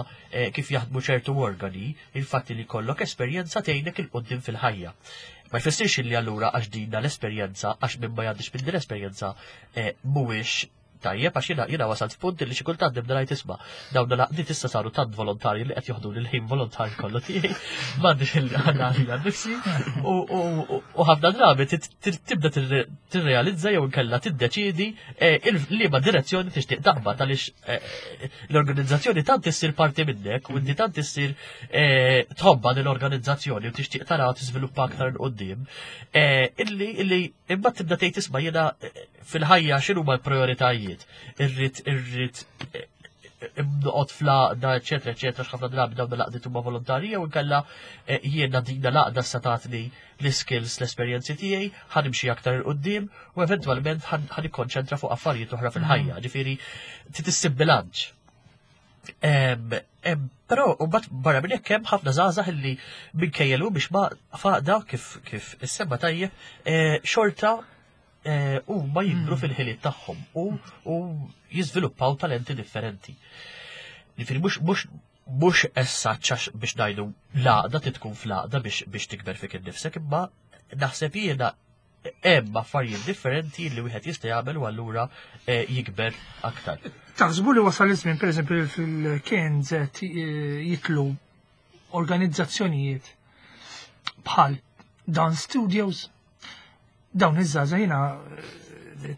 kif jaħdmu ċertu organi, il-fatt li jkollok esperjenza tgħinek 'il quddiem fil-ħajja. Ma jfissirx li allura għax dina l-esperjenza, għax minn ma jgħaddix minn din l-esperjenza mhuwiex tajjeb, għax jiena wasalt f'punt li xi kultant nibda ngħid, isma', dawn l-għaqdiet issa saru tant volontarji li qed joħdu l-ħin volontarju kollu tiegħi, m'għandix il-ħana għalija nnifsi, u ħafna drabi tibda tirrealizza jew inkella tiddeċiedi liema direzzjoni tixtieq taqbad, għaliex l-organizzazzjoni tant issir parti minnek u inti tant issir tħobba l-organizzazzjoni u tixtieq tara tiżviluppa aktar 'il quddiem, illi imbagħad tibda tgħid, isma', jiena fil-ħajja x'inhuma l-prioritajiet? Irrid noqgħod fl-għaqda, eċetera, eċetera, x'ħafna drabi dawn l-għaqdiet huma volontarji, jew inkella jiena dina l-għaqda sa tatni l-skills, l-esperjenzi tiegħi, ħa nimxi aktar 'il quddiem u eventwalment ħa nikkonċentra fuq affarijiet oħra fil-ħajja. Ġifieri trid issib bilanċ. Però u bat barra minn hekk hemm ħafna żgħażagħ illi minkejja biex ma faqda kif issemma tajjeb, xorta huma jikbru fil-ħiliet tagħhom u jiżviluppaw talenti differenti. Ġifieri mhux essaċ biex ngħidu l-għaqda tkun fl-għaqda biex tikber fik innifsek, imma naħseb jiena hemm affarijiet differenti li wieħed jista' jagħmel u allura jikber aktar. Taħsbu li wasal iż-żmien, pereżempju, fil-KNZ jitlu organizzazzjonijiet bħal Dance Studios, dawn iż-żgħażagħ, jiena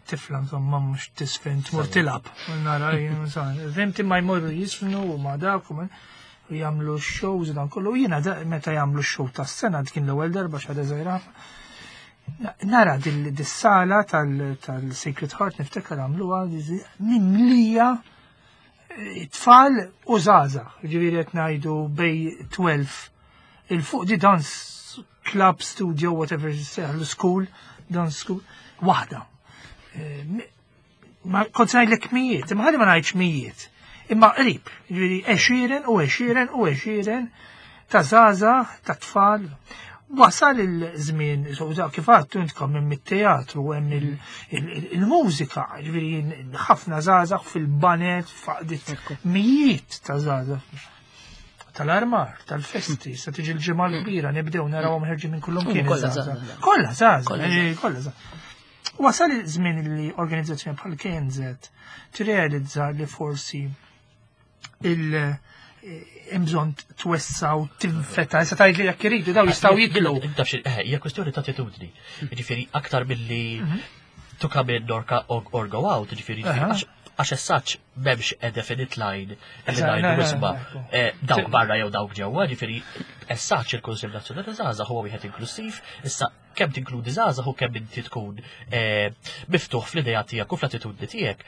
tifla insomma mhux tisfen tmur tilgħab. Nara fhimt, imma jmorru jisfnu u ma dak u jagħmlu shows u dan kollu. Jiena meta jagħmlu show tas-sena, kien l-ewwel darba x'għadha żgħira, nara dis-sala tal-Sacred Heart, niftakar għamluha mimlija tfal u żgħażagħ, ġifieri qed ngħidu bejn 12 'il fuq, di dance club, studio, whatever, school, dance school, waħda. Ma kont ngħidlek mijiet, imma ħalli ma ngħidx mijiet. Imma qrib, ġifieri għexieren u għexieren u għexieren ta' żgħażagħ, ta' tfal. Wasal il-żmien, kif għadtu intkom, hemm it-teatru, hemm il-mużika, ġifieri ħafna żgħażagħ fil-baned, faqdit mijiet ta' żgħażagħ tal-armar, tal-festi, sa tiġi l-Ġimgħa l-Kbira, nibdew narawhom ħerġin minn kullum kien. Kollha żgħażagħ, kollha żgħażagħ. Wasal il-żmien li organizzazzjoni bħal KNZ tirrealizza li forsi il- bżonn twessa' u tinfetaħ, sa tgħid li jekk iridu daw jistgħu jidlu. Hija kwestjoni ta' attitudni. Ġifieri aktar milli to come in or go out, ġifieri għax essaċ m'hemmx a definite line li ngħidu, isma', dawk barra jew dawk ġewwa, ġifieri essaċ il-Kunsill Nazzjonali Żgħażagħ huwa wieħed inklusiv, issa kemm tinkludi żgħażagħ u kemm inti tkun miftuħ fl-idea tiegħek u fl-attitudni tiegħek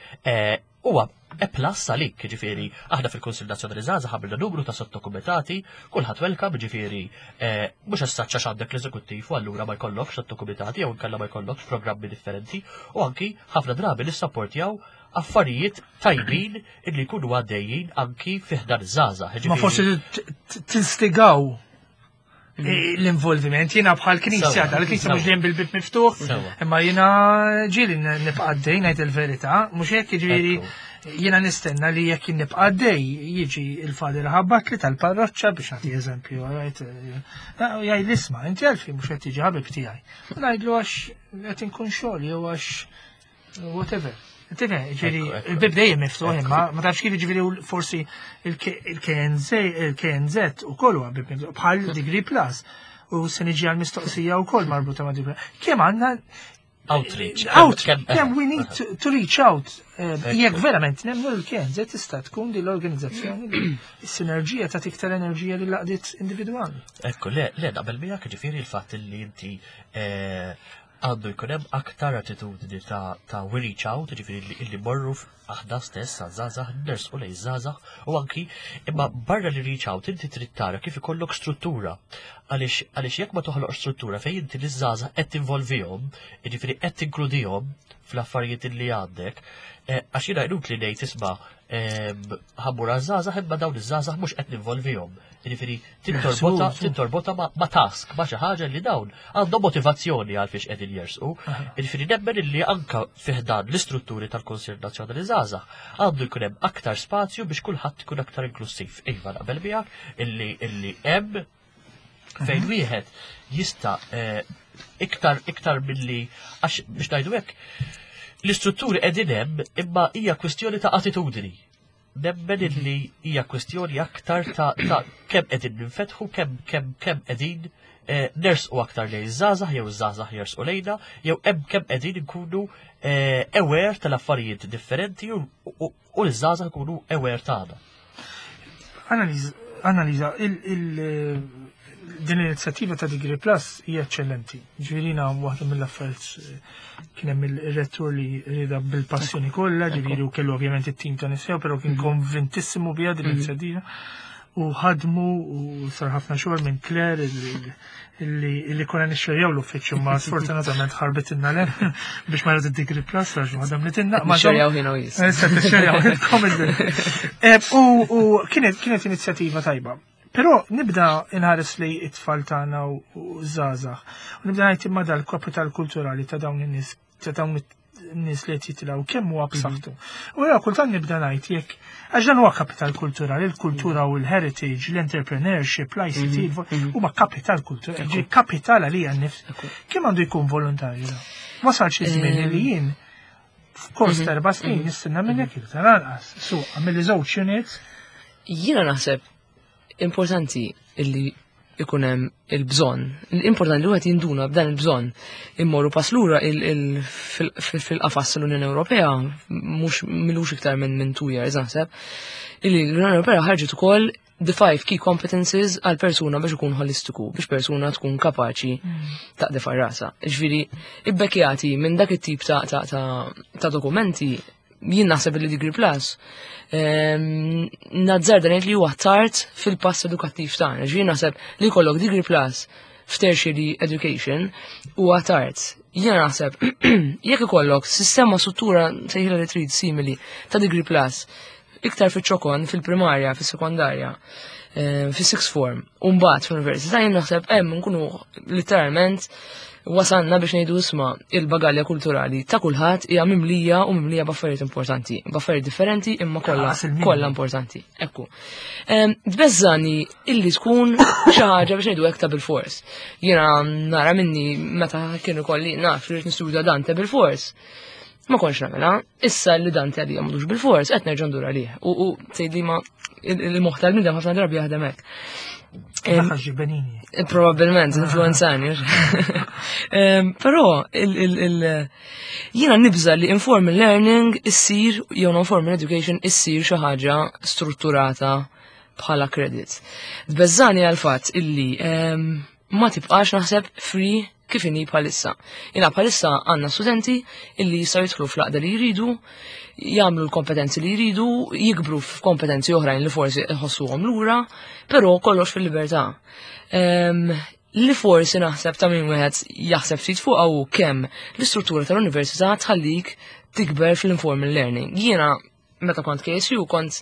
huwa e plus għalik, ġifieri, aħna fil-Kunsill Nazzjonali Żgħażagħ għamilna numru ta' sottokumitati, kulħadd welcome, ġifieri, mhux essaċ għax għandek l-eżekuttiv u allura ma jkollokx sottokumitati jew inkella ma jkollokx programmi differenti, u anki ħafna drabi nissapportjaw affarijiet tajbin illi jkunu għaddejjin anki fi ħdan iż-żgħażagħ. Ma forsi tinstigaw l-involviment. Jiena bħal knisja, tal-knisja mhux dejjem bil-bib miftuħ, imma jiena ġieli nibqa' għaddej, ngħid il-verità, mhux hekk, jiġifieri jiena nistenna li jekk nibqa' għaddej jiġi il-Father ħabbatli tal-parroċċa, biex nagħti eżempju, jgħid, "Isma', inti għalfejn mhux qed tiġi, ħabib tiegħi?" Ngħidlu għax qed inkun xogħol jew għax whatever. Tifhem, ġifieri, il-bib dejjem miftuħ, imma ma tafx kif, ġifieri forsi il-KNZ u kollu bib miftuħ, bħal Degree Plus. U se niġi għal-mistoqsija u koll marbuta ma' Degree. Kemm għandna outreach? Out, kemm we need to reach out. Jekk verament nemnu l-KNZ tista' tkun din l-organizzazzjoni li s-sinerġija ta' tiktar enerġija li laqdiet individwali. Ekku, le, le, naqbel miegħek, ġifieri il-fatt li inti għandu jkun hemm aktar attitudni ta' we reach out, ġifieri illi morru aħna stess għaż-żgħażagħ, nersqu lejn żgħażagħ u anki imma barra li reach out inti trid tara kif ikollok struttura. Għaliex jekk ma toħloq struttura fejn inti liż-żgħażagħ qed tinvolvihom, jiġifieri qed tinkludihom fl-affarijiet li għandek, għax jiena inutli ngħid, isma' Ħa mmur għaż-żgħażagħ imma dawn iż-żgħażagħ mhux qed ninvolvihom. Jiġifieri tintorbota ma' task, ma' xi ħaġa li dawn għandhom motivazzjoni għal fiex qegħdin jersqu. Jiġifieri nemmen illi anka fi ħdan l-istrutturi tal-Kunsill Nazzjonali Żgħażagħ għandu jkun hemm aktar spazju biex kulħadd ikun aktar inklussiv. Iva naqbel miegħek illi hemm fejn wieħed jista' eh, iktar iktar milli għax biex ngħidu hekk l-istrutturi qegħdin hemm imma hija kwistjoni ta' attitudni. Nemmen illi hija kwistjoni aktar ta' kemm qegħdin ninfetħu, kemm kemm kemm qegħdin eh, nersqu aktar lejn iż-żgħażagħ jew iż-żgħażagħ jersqu lejna, jew hemm kemm qegħdin inkunu eh, aware tal-affarijiet differenti u l-żgħażagħ ikunu aware tagħna. Analiza, din l-inizjattiva ta' Degree Plus hija eċċellenti. Ġifieri waħda mill-affarijiet eh, kien hemm il-rettur li rieda bil-passjoni kollha, ġifieri u kellu ovvjament it-tim ta' nisjew, però kien mhm. konvintissimu biha din mhm. l-inizjattiva. U ħadmu u sar ħafna xogħol minn Claire illi konna nixxerjaw l-uffiċċju ma sfortunatament ħarbet inna le biex ma id Degree Plus għax waħda mlitinna. Ma xerjaw ħin u jis. Eh, xerjaw eh, U kienet inizjattiva tajba. Però nibda inħares li it-tfal tagħna u żgħażagħ. U nibda ngħid imma dal-kapital kulturali ta' dawn in-nies ta' dawn nies li qed jitilgħu kemm huwa b'saħħtu. U jiena kultant nibda ngħid jekk għax dan huwa kapital kulturali, il-kultura u l-heritage, l-entrepreneurship, l-ICT, mhm, mhm. huma kapital kulturali, ġi kapital għalija nnifs. Kemm għandu jkun volontarju? Wasalx iż-żmien li jien f'kors mhm, ta' erba' snin nistenna minnek iktar anqas. Su, għamilli żewġ units. Jiena naħseb importanti illi ikun hemm il-bżonn. L-importanti li wieħed jinduna b'dan il-bżonn. Immorru pass lura fil-qafas tal-Unjoni Ewropea mhux milux iktar minn minn two years naħseb. Illi l-Unjoni Ewropea ħarġet ukoll the five key competences għal persuna biex ikun holistiku, biex persuna tkun kapaċi mm. taqdef rasa. Ġifieri, ibbekjati minn dak it-tip ta', ta, ta, ta dokumenti jien naħseb li Degree Plus ehm, nazzarda ngħid li huwa tard fil-pass edukattiv tagħna. Ġifieri naħseb li jkollok Degree Plus f'tertiary education huwa tard. Jiena naħseb jekk ikollok sistema struttura sejħila li trid simili ta' Degree Plus iktar fiċ-ċokon fil-primarja, fis-sekondarja, ehm, fis-sixth form, u mbagħad fl-università jien naħseb hemm nkunu literalment wasalna biex ngħidu isma' il-bagalja kulturali ta' kulħadd hija mimlija u mimlija b'affarijiet importanti, b'affarijiet differenti imma kollha kollha importanti. Ekku. Tbeżżani illi tkun xi ħaġa biex ngħidu hekk ta' bil-fors. Jiena nara minni meta kienu kolli naf li nistudja Dante bil-fors. Ma konx nagħmilha, issa li Dante għalija m'għandux bil-fors qed nerġa' ndur għalih. U tgħidli ma il-moħħ tal-bniedem ħafna drabi jaħdem hekk. Benini. Probabilment, influenzani. Però, jiena nibża li informal learning issir, jew non-formal education issir xi ħaġa strutturata bħala credit. Tbeżżani għal fatt illi ma tibqax naħseb free kif inhi bħalissa. Jiena bħalissa għandna studenti illi jistgħu jidħlu fl-għaqda li jridu, jagħmlu l-kompetenzi li jridu, jikbru f'kompetenzi oħrajn li forsi jħossuhom lura, però kollox fil-libertà. Ehm, li forsi naħseb ta' min wieħed jaħseb ftit fuq hu kemm l-istruttura tal-università tħallik tikber fl-informal learning. Jiena meta kont KSU kont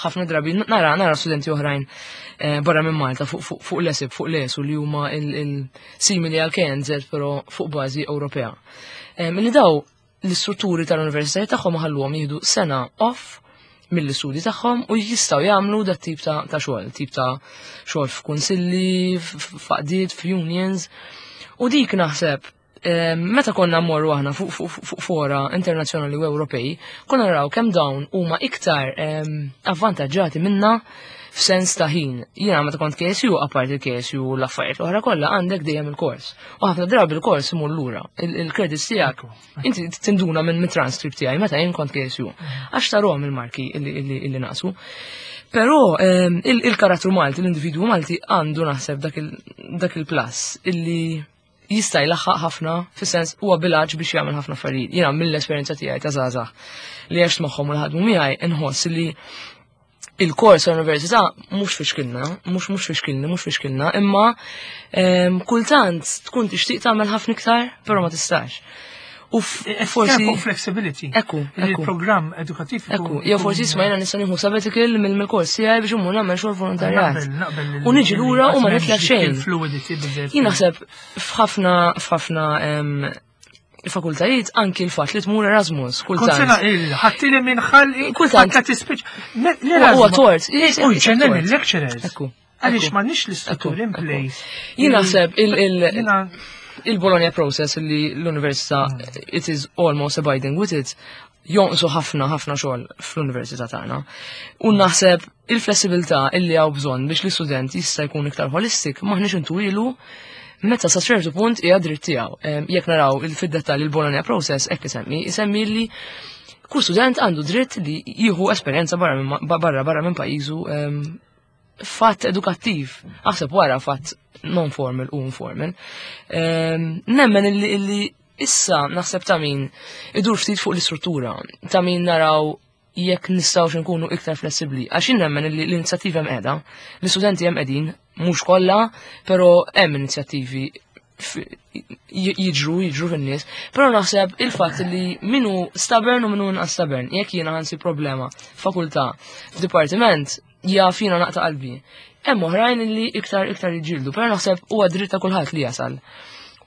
ħafna drabi nara nara studenti oħrajn eh, barra minn Malta fuq l-ESIB, fuq l-ESU li huma il-simili għal KNZ però fuq bażi Ewropea. Eh, milli daw l-istrutturi tal-universitajiet tagħhom ħalluhom jieħdu sena off mill-istudji tagħhom u jistgħu jagħmlu dat tip ta' xogħol, tip ta' xogħol f'kunsilli, f'qdiet, f'unions. U dik naħseb meta konna mmorru aħna fuq fora internazzjonali u Ewropej, konna naraw kemm dawn huma iktar avvantaġġati minna f'sens ta' ħin. Jiena meta kont KSU, apparti il-KSU l-affarijiet l-oħra kollha għandek dejjem il-kors. U ħafna drabi il-kors imur lura. Il-credits tiegħek inti tinduna minn transcript tiegħi meta jien kont KSU. Għax tarhom il-marki illi naqsu. Però il-karattru Malti, l-individwu Malti għandu naħseb dak il-plus illi jista' jlaħħaq ħafna fis-sens huwa bilaġ biex jagħmel ħafna affarijiet. Jiena mill-esperjenza tiegħi ta' żgħażagħ li għext magħhom u ħadmu miegħi inħoss li il-kors tal-università mhux fixkilna, mhux mhux fixkilni, mhux fixkilna, imma ehm, kultant tkun tixtieq tagħmel ħafna iktar, però ma tistax. U forsi. Fuq flexibility. Ekku. Il-programm edukattiv. Ekku, jew forsi isma' jiena nista' nieħu sabbatical mill-kors tiegħi biex immur nagħmel xogħol volontarjat. U niġi lura u ma nitlef xejn. Jien naħseb f'ħafna f'ħafna fakultajiet anki l-fatt li tmur Erasmus kultant. Kont sena il ħattili minn ħalqi. Kultant. Ta' tispiċ. Huwa tort. U jġennen il-lecturers. Ekku. Għaliex m'għandniex l-istruttur in place. Jien naħseb il-Bologna process li l-università it is almost abiding with it jonqsu ħafna ħafna xogħol fl-università tagħna. U naħseb il-flessibilità illi hawn bżonn biex l-istudent jista' jkun iktar holistic maħniex intuwilu meta sa ċertu punt hija dritt tiegħu. Jekk naraw fid-dettall il-Bologna process hekk isemmi, isemmi li kull student għandu dritt li jieħu esperjenza barra barra minn pajjiżu fatt edukattiv, aħseb wara fatt non-formal u informal. Nemmen illi issa naħseb ta' min idur ftit fuq l-istruttura, ta' min naraw jekk nistgħux nkunu iktar flessibbli. Għax nemmen illi l-inizjattiva hemm qiegħda, l-istudenti hemm qegħdin, mhux kollha, però hemm inizjattivi jiġru, jiġru fin-nies, però naħseb il-fatt li minu stubborn u minu inqas stubborn, jekk jiena ħansi problema fakultà f'dipartiment, jaf jiena naqta' qalbi. Hemm oħrajn li iktar iktar jiġġieldu, però naħseb huwa dritt ta' kulħadd li jasal.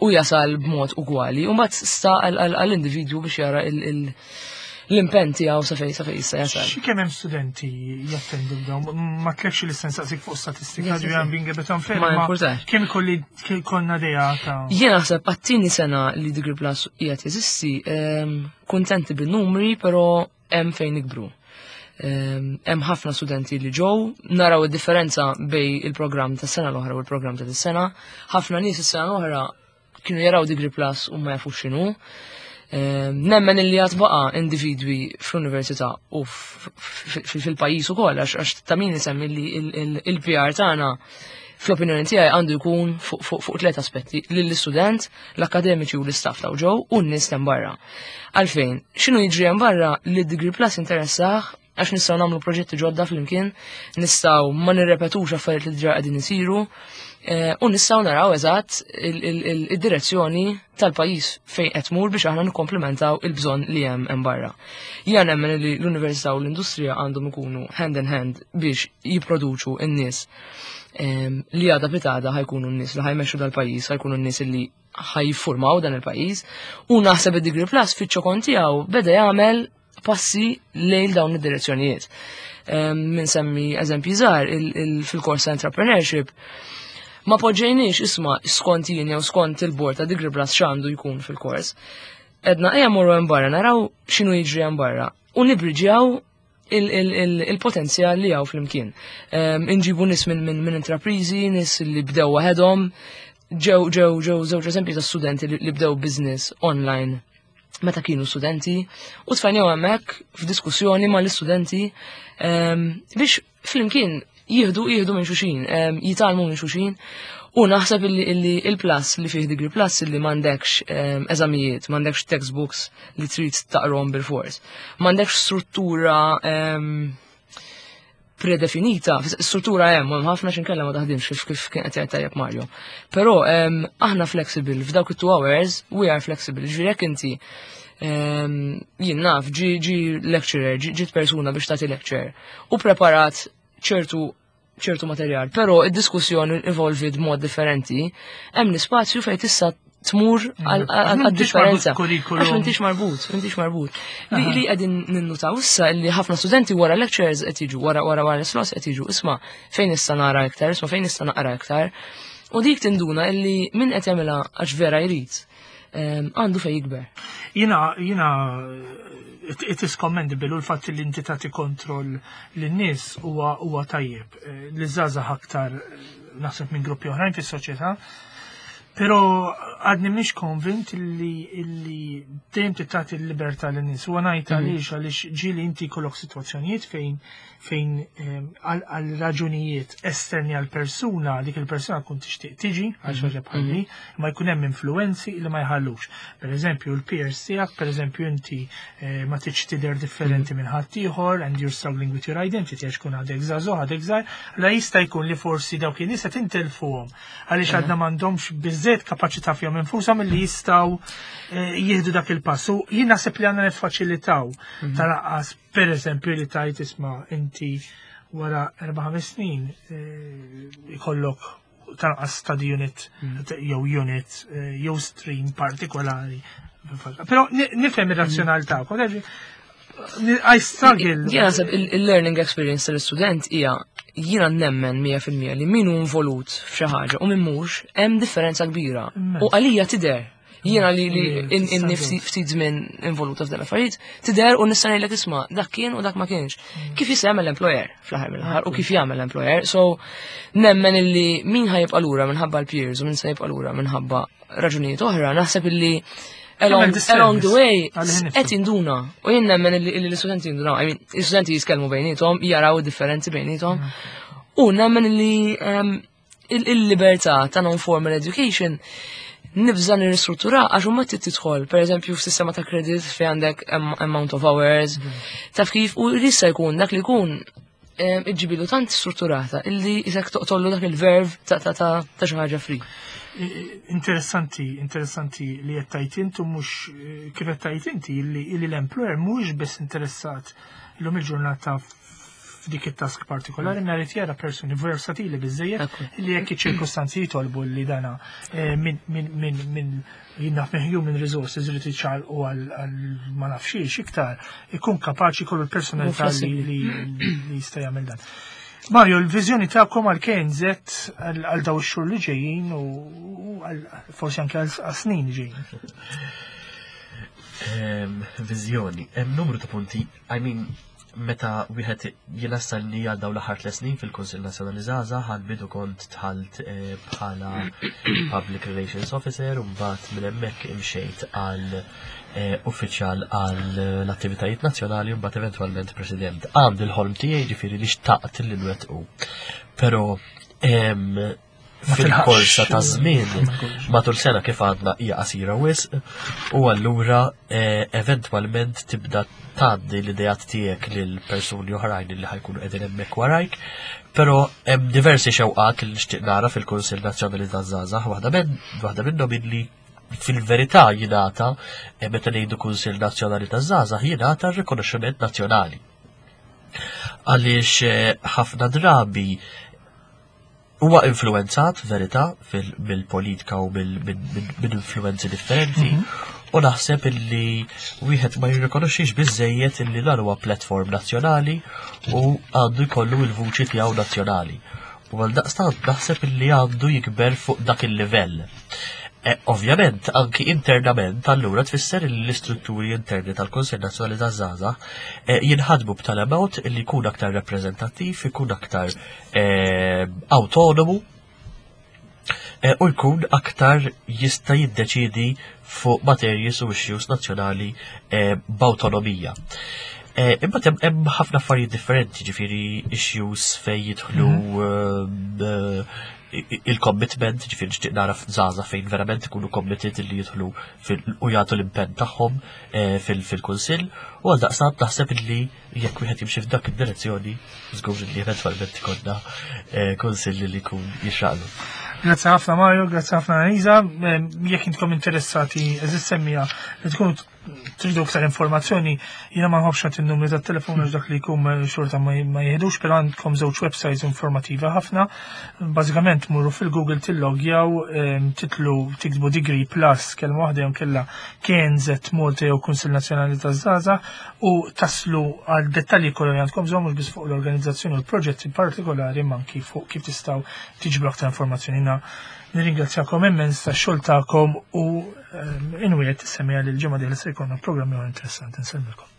U jasal b'mod ugwali, u mbagħad sta għall-individwu biex jara l-impenn tiegħu sa fejn sa fejn jista' jasal. Xi kemm hemm studenti jattendu dawn, ma tlekx li sensaqsik fuq statistika ġi għam being a bit unfair. Ma importax. Kemm ikolli konna dejja ta' Jien naħseb għat-tieni sena li Degree Plus qiegħed jeżisti, kuntenti bin-numri, però hemm fejn nikbru. Hemm ħafna studenti li ġew, naraw id-differenza bej il-programm tas sena l-oħra u l-programm ta' dis-sena. Ħafna nies is-sena l-oħra kienu jaraw Degree Plus u ma jafux x'inhu. Nemmen illi għad baqa' individwi fl-università u fil-pajjiż ukoll għax ta' min isemmi li il-PR tagħna fl-opinjoni tiegħi għandu jkun fuq tliet aspetti: lill-istudent, l-akademiċi u l-istaff ta' ġew u n-nies hemm barra. Għalfejn, x'inhu jiġri hemm barra li Degree Plus interessah għax nistgħu nagħmlu proġetti ġodda flimkien, nistgħu ma nirrepetux affarijiet li diġà qegħdin isiru, u nistgħu naraw eżatt id-direzzjoni tal-pajjiż fejn qed tmur biex aħna nikkomplementaw il-bżonn li hemm hemm barra. Jien nemmen li l-università u l-industrija għandhom ikunu hand in hand biex jipproduċu n-nies li għada pitgħada ħa jkunu n-nies li ħa jmexxu dal-pajjiż, ħa jkunu n-nies li ħa jiffurmaw dan il-pajjiż, u naħseb id-Degree Plus fiċ-ċokon tiegħu beda jagħmel passi lejn dawn id-direzzjonijiet. Min semmi eżempji żgħar fil-kors ta' entrepreneurship, ma poġġejniex isma' skont jien jew skont il-bord ta' Degree Plus x'għandu jkun fil-kors. Edna ejja morru hemm barra naraw x'inhu jiġri hemm barra u nibriġjaw il-potenzjal li hawn flimkien. Inġibu nies minn intraprizi, nies li bdew waħedhom, ġew żewġ eżempji ta' studenti li bdew business online meta kienu studenti u tfajnew hemmhekk f'diskussjoni mal-istudenti biex flimkien jieħdu minn xulxin, jitgħallmu minn xulxin u naħseb illi il-plus li fih Degree Plus illi m'għandekx eżamijiet, m'għandekx textbooks li trid taqrom bil-fors, m'għandekx struttura predefinita, struttura hemm, hemm ħafna x'inkella ma taħdimx kif kien qed jgħid tajjeb Mario. Però aħna flexible, f'dawk it-2 hours we are flexible, ġifieri jekk inti jien naf ġi lecturer, ġiet persuna biex tagħti lecture u preparat ċertu materjal, però id-diskussjoni evolved mod differenti, hemm l-ispazju fejn tista' tmur għal-differenza. Għax m'intix marbut, m'intix marbut. Li qegħdin ninnutaw issa li ħafna studenti wara lectures qed jiġu, wara wara wara slots qed jiġu, isma' fejn nista' nara iktar, isma' fejn nista' naqra iktar. U dik tinduna illi min qed jagħmilha għax vera jrid, għandu fejn jikber. Jiena, it is commendable u l-fatt li inti tagħti kontroll lin-nies huwa tajjeb. Li żgħażagħ aktar naħseb minn gruppi oħrajn fis-soċjetà. Però għadni mhix konvint illi dejjem tagħti l-libertà lin-nies. Huwa ngħid għaliex ġieli inti jkollok sitwazzjonijiet fejn għal raġunijiet esterni għal persuna, dik il-persuna tkun tixtieq tiġi għal xi ħaġa bħal di, ma jkun hemm influenzi li ma jħallux. Per eżempju, l-peers tiegħek, per eżempju inti ma tridx tidher differenti minn ħaddieħor and you're struggling with your identity għax kun għadek żagħżugħ, għadek żgħir, la jista' jkun li forsi dawk in-nies qed intelfuhom għaliex għadna m'għandhomx biżżejjed biżżejjed kapaċità fihom infushom li jistgħu eh, jieħdu dak il-pass. U jien naħseb li għandna niffaċilitaw mhm. tal-aqqas pereżempju li tajt isma' inti wara 4-5 snin eh, ikollok tanqas study unit mhm. jew unit eh, jew stream partikolari. Però nifhem ir-razzjonal tagħkom. I struggle. Jena naħseb il-learning experience tal-istudent hija jiena nemmen 100% li min hu involut f'xi ħaġa u min mhux hemm differenza kbira. U għalija tidher. Jiena li li inni ftit żmien involuta f'dan l-affarijiet, tidher u nista' ngħidlek isma' dak kien u dak ma kienx. Mm. Kif jista' jagħmel l-employer fl-aħħar mill-aħħar u kif jagħmel l-employer. So nemmen illi min ħajibqa' lura minħabba l-peers u min se jibqa' lura minħabba raġunijiet oħra, naħseb illi along, along the way qed jinduna u jien nemmen illi l-istudenti jinduna, I mean, l-istudenti jitkellmu bejniethom, jaraw id-differenzi bejniethom u nemmen illi ehm, il-libertà ta' non-formal education nibża nirristruttura għax huma trid tidħol, pereżempju f'sistema ta' credit fejn għandek amount of hours, mm. taf kif u jista' jkun dak li jkun iġġibilu tant strutturata illi jisek toqtollu dak il-verb ta' ta' ta' ta' xi ħaġa free. Interessanti, interessanti li qed tajt intu mhux eh, kif qed tajt inti illi l-employer mhux biss interessat illum il-ġurnata f'dik it-task partikolari mm. nhar jara persuni versatili biżejjed li jekk iċ-ċirkustanzi jitolbu li dana eh, minn min, min, jien naf minn human resources irid iċċaqalqu għal ma nafx xiex iktar, ikun kapaċi jkollu l-personalità li jista' jagħmel dan. Mario, l-viżjoni tagħkom għal KNZ għal daw ix-xhur li ġejjin u forsi anke għal snin li ġejjin. Ehm, viżjoni, hemm numru ta' punti, I mean, meta wieħed jiena stanni għal dawn l-aħħar tliet snin fil-Kunsill Nazzjonali Żgħażagħ għal bidu kont dħalt eh, bħala Public Relations Officer u mbagħad minn hemmhekk imxejt għal eh, uffiċjal għal l-attivitajiet nazzjonali u mbagħad eventwalment President. Għandi l-ħolm tiegħi ġifieri li xtaqt li nwettqu. Però fil-korsa ta' żmien matul sena kif għadna hija qasira wisq u allura eh, eventwalment tibda tgħaddi l-idejat tiegħek lil persuni oħrajn li ħajkunu qegħdin hemmhekk warajk. Però hemm diversi xewqat li nixtieq nara fil-Kunsill Nazzjonali taż-Żgħażagħ, waħda minn waħda minnhom illi fil-verità jingħata eh, meta ngħidu Kunsill Nazzjonali taż-Żgħażagħ jingħata r-rikonoxximent nazzjonali. Għaliex eh, ħafna drabi Huwa influwenzat, verità, mill-politika u minn influwenzi differenti, mhm. u naħseb illi wieħed ma jirrikonoxxix biżejjed illi dan huwa platform nazzjonali u għandu jkollu l-vuċi tiegħu nazzjonali. U għal daqstant naħseb illi għandu jikber fuq dak il-livell. E, ovvjament, anki internament, allura tfisser li l-istrutturi interni tal-Kunsill Nazzjonali taż-Żgħażagħ e, jinħadmu b'tali mod li jkun aktar rappreżentattiv, ikun aktar Eh, autonomu eh, u jkun aktar jista' jiddeċidi fuq materji u issues nazzjonali eh, b'awtonomija. Imbagħad hemm ħafna affarijiet differenti, ġifieri issues fejn jidħlu mhm. il-commitment, ġifieri nixtieq nara żgħażagħ fejn verament ikunu committed li jidħlu u jagħtu l-impenn tagħhom fil-kunsill u għal daqstant naħseb li jekk wieħed jimxi f'dak id-direzzjoni, żgur li eventwalment ikollna eh, kunsill li jkun jixraqlu. Grazzi ħafna Mario, grazzi ħafna Anisa. Eh, jekk intkom interessati, eżist semmija li tkunu tridu aktar informazzjoni, jiena ma nħobbx nagħti n-numri tat-telefon għax dak li jkun eh, xorta ma jieħdux, però għandkom żewġ websites informativa ħafna. Bażikament murru fil-Google tillogjaw, titlu tiktbu Degree Plus kelma waħda jew kella KNZ Malta jew Kunsill Nazzjonali taż-Żgħażagħ u taslu għal dettalji kollha li għandkom bżonn mhux biss fuq l-organizzazzjoni u l-proġetti partikolari imma anki fuq kif tistgħu tiġbru aktar informazzjoni. Na nirringrazzjakom immens tax-xogħol tagħkom u ehm, inwiet semmiha li l-ġimgħa dieħla se jkollna programm ieħor interessanti. Nsellmilkom.